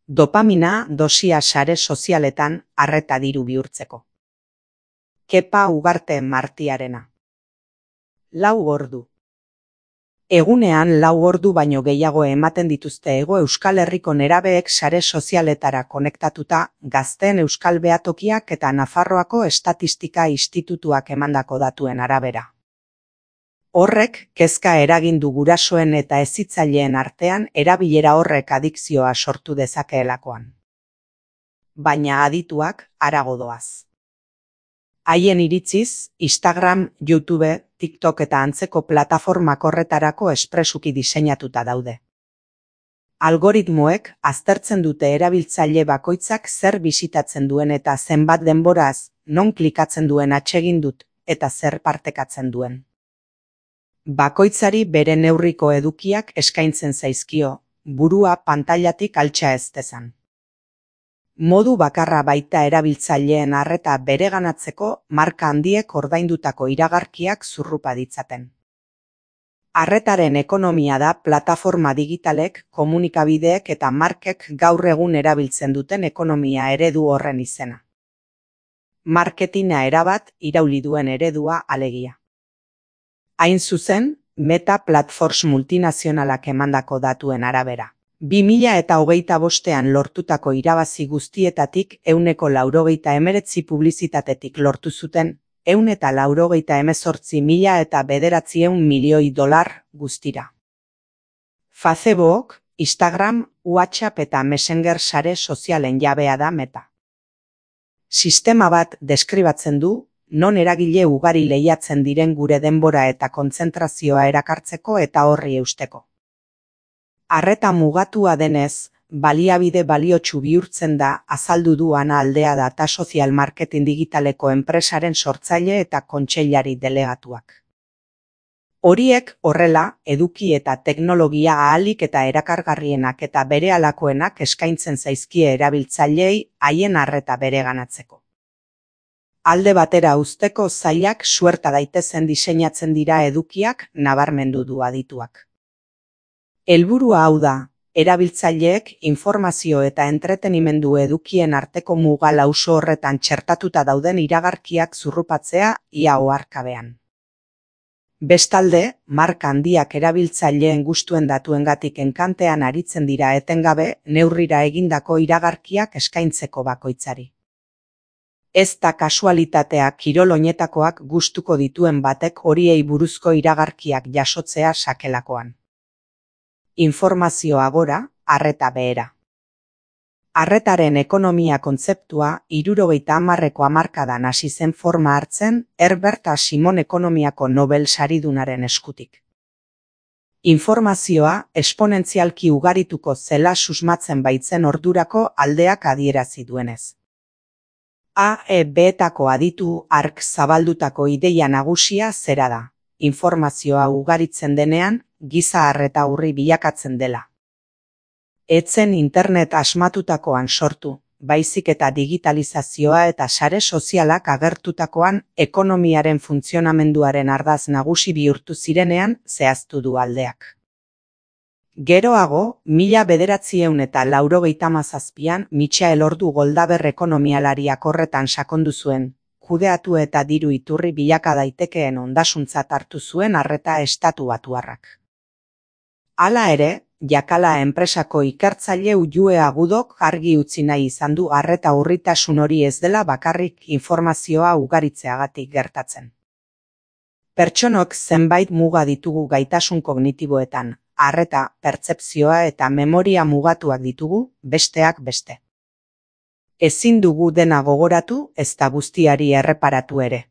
Dopamina dosia sare sozialetan arreta diru bihurtzeko. Kepa Ugarte Martiarena. 4 ordu. Egunean 4 ordu baino gehiago ematen dituzte Hego Euskal Herriko nerabeek sare sozialetara konektatuta, Gazteen Euskal Behatokiak eta Nafarroako Estatistika Institutuak emandako datuen arabera. Horrek kezka eragin du gurasoen eta hezitzaileen artean erabilera horrek adikzioa sortu dezakeelakoan. Baina adituak harago doaz. Haien iritziz, Instagram, YouTube, TikTok eta antzeko plataformak horretarako espresuki diseinatuta daude. Algoritmoek aztertzen dute erabiltzaile bakoitzak zer bisitatzen duen eta zenbat denboraz, non klikatzen duen atsegin dut eta zer partekatzen duen. Bakoitzari bere neurriko edukiak eskaintzen zaizkio, burua pantailatik altxa ez dezan. Modu bakarra baita erabiltzaileen arreta bereganatzeko marka handiek ordaindutako iragarkiak zurrupa ditzaten. Arretaren ekonomia da plataforma digitalek, komunikabideek eta markek gaur egun erabiltzen duten ekonomia eredu horren izena. Marketina erabat irauli duen eredua alegia. Hain zuzen, Meta Platforms multinazionalak emandako datuen arabera. 2025 lortutako irabazi guztietatik 189 publizitatetik lortu zuten, 198.900 milioi dolar guztira. Facebook, Instagram, WhatsApp eta Messenger sare sozialen jabea da Meta. Sistema bat deskribatzen du, non eragile ugari lehiatzen diren gure denbora eta kontzentrazioa erakartzeko eta horri eusteko. Arreta mugatua denez, baliabide baliotsu bihurtzen da azaldu du Ana Aldea data sozial marketing digitaleko enpresaren sortzaile eta kontseilari delegatuak. Horiek horrela, eduki eta teknologia ahalik eta erakargarrienak eta berehalakoenak eskaintzen zaizkie erabiltzaileei haien arreta bereganatzeko. Alde batera uzteko zailak suerta daitezen diseinatzen dira edukiak nabarmendu du adituak. Helburua hau da, erabiltzaileek informazio eta entretenimendu edukien arteko muga lauso horretan txertatuta dauden iragarkiak zurrupatzea ia oharkabean. Bestalde, marka handiak erabiltzaileen gustuen datuengatik enkantean aritzen dira etengabe neurrira egindako iragarkiak eskaintzeko bakoitzari. Ez da kasualitatea kirol oinetakoak gustuko dituen batek horiei buruzko iragarkiak jasotzea sakelakoan. Informazioa gora, arreta behera. Arretaren ekonomia kontzeptua 70ko hamarkadan hasi zen forma hartzen Herbert A. Simon ekonomiako Nobel saridunaren eskutik. Informazioa esponentzialki ugarituko zela susmatzen baitzen ordurako aldeak adierazi duenez. AEB-etako aditu hark zabaldutako ideia nagusia zera da. Informazioa ugaritzen denean, giza arreta urri bilakatzen dela. Etzen internet asmatutakoan sortu, baizik eta digitalizazioa eta sare sozialak agertutakoan ekonomiaren funtzionamenduaren ardaz nagusi bihurtu zirenean zehaztu du aldeak. Geroago, 1997an Michael Ordu Goldaber ekonomialariak horretan sakondu zuen, kudeatu eta diru iturri bilaka daitekeen ondasuntzat hartu zuen arreta estatubatuarrak. Hala ere, Jakala enpresako ikertzaile Ullue Agudok argi utzi nahi izan du arreta urritasun hori ez dela bakarrik informazioa ugaritzeagatik gertatzen. Pertsonok zenbait muga ditugu gaitasun kognitiboetan, arreta, pertzepzioa eta memoria mugatuak ditugu, besteak beste. Ezin dugu dena gogoratu ezta guztiari erreparatu ere.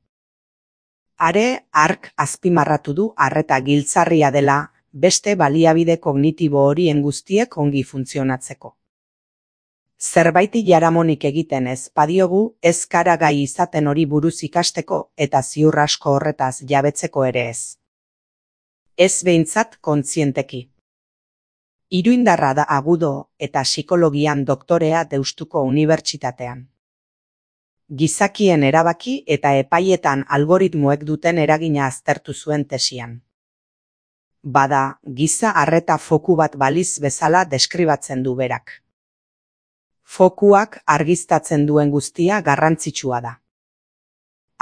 Are, hark azpimarratu du arreta giltzarria dela, beste baliabide kognitibo horien guztiek ongi funtzionatzeko. Zerbaiti jaramonik egiten ez badiogu, ez gara gai izaten hori buruz ikasteko eta ziur asko horretaz jabetzeko ere ez. Ez behintzat kontzienteki. Iruindarra da Agudo eta psikologian doktorea Deustuko Unibertsitatean. Gizakien erabaki eta epaietan algoritmoek duten eragina aztertu zuen tesian. Bada, giza arreta foku bat baliz bezala deskribatzen du berak. Fokuak argiztatzen duen guztia garrantzitsua da.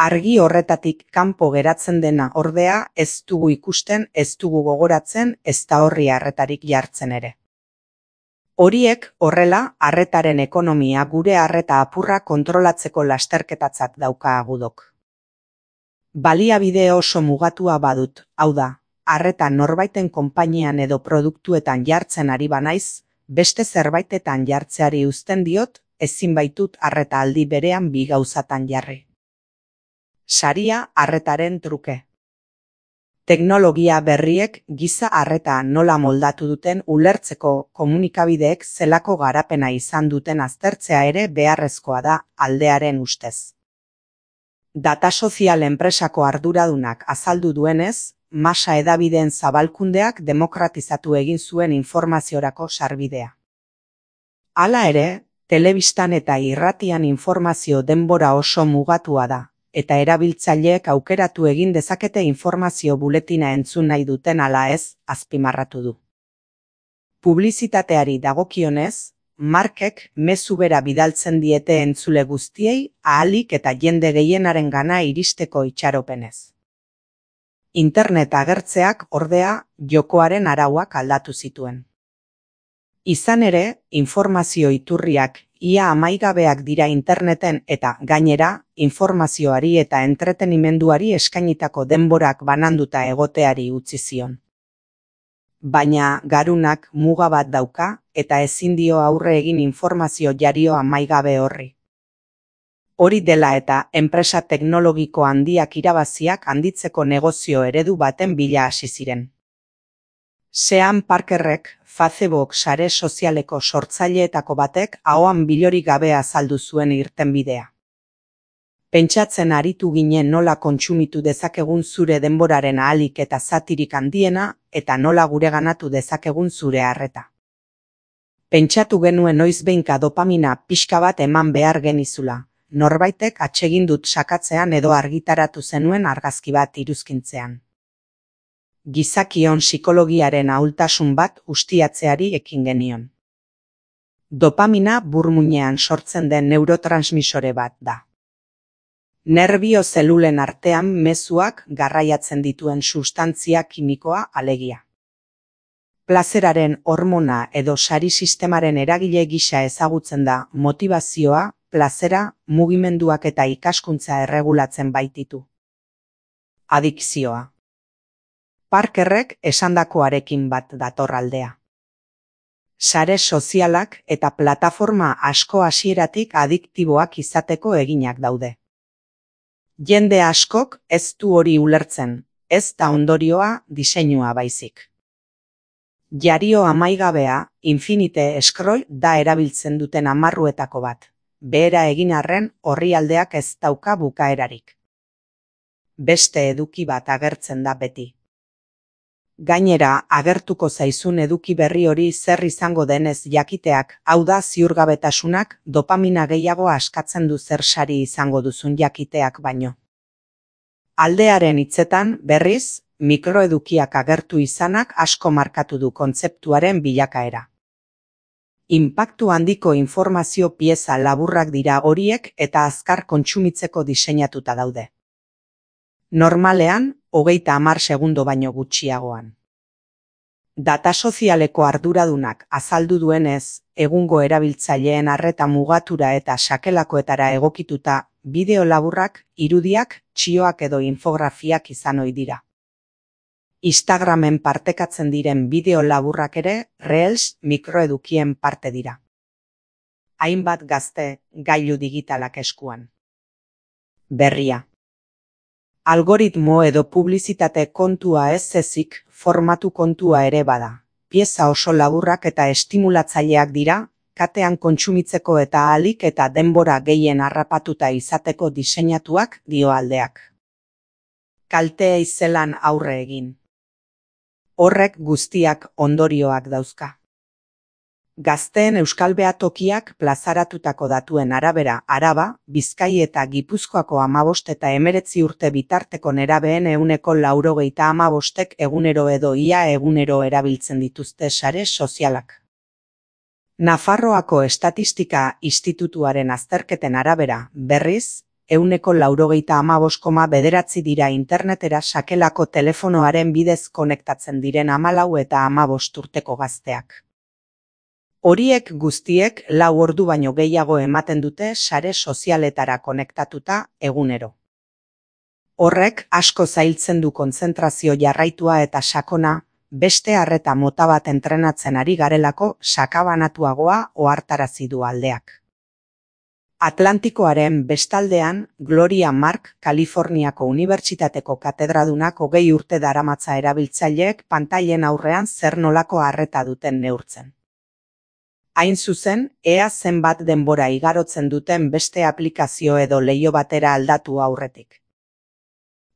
Argi horretatik kanpo geratzen dena ordea ez dugu ikusten, ez dugu gogoratzen, ezta horri arretarik jartzen ere. Horiek horrela arretaren ekonomia gure arreta apurra kontrolatzeko lasterketatzat dauka agudok. Baliabide oso mugatua badut, hau da, arreta norbaiten konpainian edo produktuetan jartzen ari banaiz, beste zerbaitetan jartzeari uzten diot, ezin baitut arreta aldi berean bi gauzatan jarri. Saria arretaren truke. Teknologia berriek giza arreta nola moldatu duten ulertzeko komunikabideek zelako garapena izan duten aztertzea ere beharrezkoa da aldearen ustez. Data sozial enpresako arduradunak azaldu duenez, masa hedabideen zabalkundeak demokratizatu egin zuen informaziorako sarbidea. Hala ere, telebistan eta irratian informazio denbora oso mugatua da, eta erabiltzaileek aukeratu egin dezakete informazio buletina entzun nahi duten ala ez, azpimarratu du. Publizitateari dagokionez, markek mezu bera bidaltzen diete entzule guztiei ahalik eta jende gehienaren gana iristeko itxaropenez. Internet agertzeak ordea jokoaren arauak aldatu zituen. Izan ere, informazio iturriak ia amaigabeak dira interneten eta gainera, informazioari eta entretenimenduari eskainitako denborak bananduta egoteari utzi zion. Baina garunak muga bat dauka eta ezin dio aurre egin informazio jario amaigabe horri. Hori dela eta enpresa teknologiko handiak irabaziak handitzeko negozio eredu baten bila hasi ziren. Sean Parkerrek, Facebook sare sozialeko sortzaileetako batek ahoan bilorik gabe azaldu zuen irtenbidea. Pentsatzen aritu ginen nola kontsumitu dezakegun zure denboraren ahalik eta zatirik handiena eta nola gureganatu dezakegun zure arreta. Pentsatu genuen noizbehinka dopamina pixka bat eman behar genizula, norbaitek atsegin dut sakatzean edo argitaratu zenuen argazki bat iruzkintzean. Gizakion psikologiaren ahultasun bat ustiatzeari ekin genion. Dopamina burmuinean sortzen den neurotransmisore bat da. Nerbio zelulen artean mezuak garraiatzen dituen sustantzia kimikoa alegia. Plazeraren hormona edo sari sistemaren eragile gisa ezagutzen da motivazioa, plazera, mugimenduak eta ikaskuntza erregulatzen baititu. Adikzioa. Parkerrek esandakoarekin bat dator aldea. Sare sozialak eta plataforma asko hasieratik adiktiboak izateko eginak daude. Jende askok ez du hori ulertzen, ez da ondorioa diseinua baizik. Jario amaigabea, Infinite Scroll da erabiltzen duten amarruetako bat. Behera egin arren orrialdeak ez dauka bukaerarik. Beste eduki bat agertzen da beti. Gainera, agertuko zaizun eduki berri hori zer izango denez jakiteak, hau da ziurgabetasunak, dopamina gehiago askatzen du zer sari izango duzun jakiteak baino. Aldearen hitzetan, berriz, mikroedukiak agertu izanak asko markatu du kontzeptuaren bilakaera. Inpaktu handiko informazio pieza laburrak dira horiek eta azkar kontsumitzeko diseinatuta daude. Normalean, 30 segundo baino gutxiagoan. Data sozialeko arduradunak azaldu duenez, egungo erabiltzaileen arreta mugatura eta sakelakoetara egokituta, bideo laburrak, irudiak, txioak edo infografiak izan ohi dira. Instagramen partekatzen diren bideo laburrak ere, Reels mikroedukien parte dira. Hainbat gazte, gailu digitalak eskuan. Berria. Algoritmo edo publizitate kontua ez ezik, formatu kontua ere bada. Pieza oso laburrak eta estimulatzaileak dira, katean kontsumitzeko eta ahalik eta denbora gehien harrapatuta izateko diseinatuak dio aldeak. Kalteei zelan aurre egin. Horrek guztiak ondorioak dauzka. Gazteen euskal behatokiak plazaratutako datuen arabera Araba, Bizkai eta Gipuzkoako 15 eta 19 urte bitarteko nerabeen 95% egunero edo ia egunero erabiltzen dituzte sare sozialak. Nafarroako Estatistika Institutuaren azterketen arabera, berriz, 95,9 dira internetera sakelako telefonoaren bidez konektatzen diren 14 eta 15 urteko gazteak. Horiek guztiek 4 ordu baino gehiago ematen dute sare sozialetara konektatuta egunero. Horrek asko zailtzen du kontzentrazio jarraitua eta sakona, beste arreta mota bat entrenatzen ari garelako sakabanatuagoa ohartarazi du aldeak. Atlantikoaren bestaldean, Gloria Mark, Kaliforniako Unibertsitateko katedradunak 20 urte daramatza erabiltzaileek pantailen aurrean zer nolako arreta duten neurtzen. Hain zuzen, ea zenbat denbora igarotzen duten beste aplikazio edo leiho batera aldatu aurretik.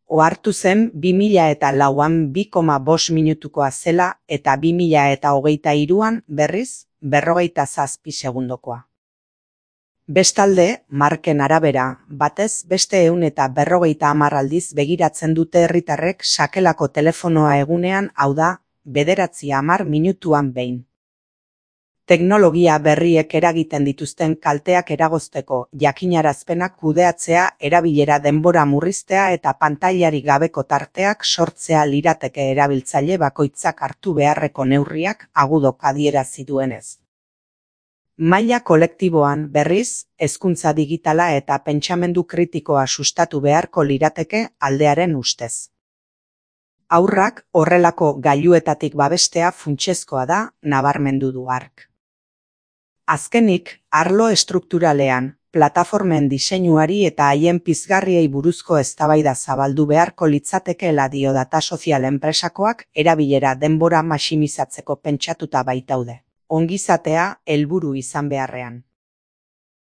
Ohartu zen 2004an 2,5 minutukoa zela eta 2023an berriz 47 segundokoa. Bestalde, Marken arabera, batez beste 150 aldiz begiratzen dute herritarrek sakelako telefonoa egunean, hau da, 9 minutuan behin. Teknologia berriek eragiten dituzten kalteak eragozteko jakinarazpenak kudeatzea, erabilera denbora murriztea eta pantailarik gabeko tarteak sortzea lirateke erabiltzaile bakoitzak hartu beharreko neurriak agudok adierazi duenez. Maila kolektiboan, berriz, hezkuntza digitala eta pentsamendu kritikoa sustatu beharko lirateke aldearen ustez. Haurrak horrelako gailuetatik babestea funtsezkoa da, nabarmendu du hark. Azkenik, arlo estrukturalean, plataformen diseinuari eta haien pizgarriei buruzko eztabaida zabaldu beharko litzatekeela dio data sozial enpresakoak erabilera denbora maximizatzeko pentsatuta baitaude. Ongizatea helburu izan beharrean.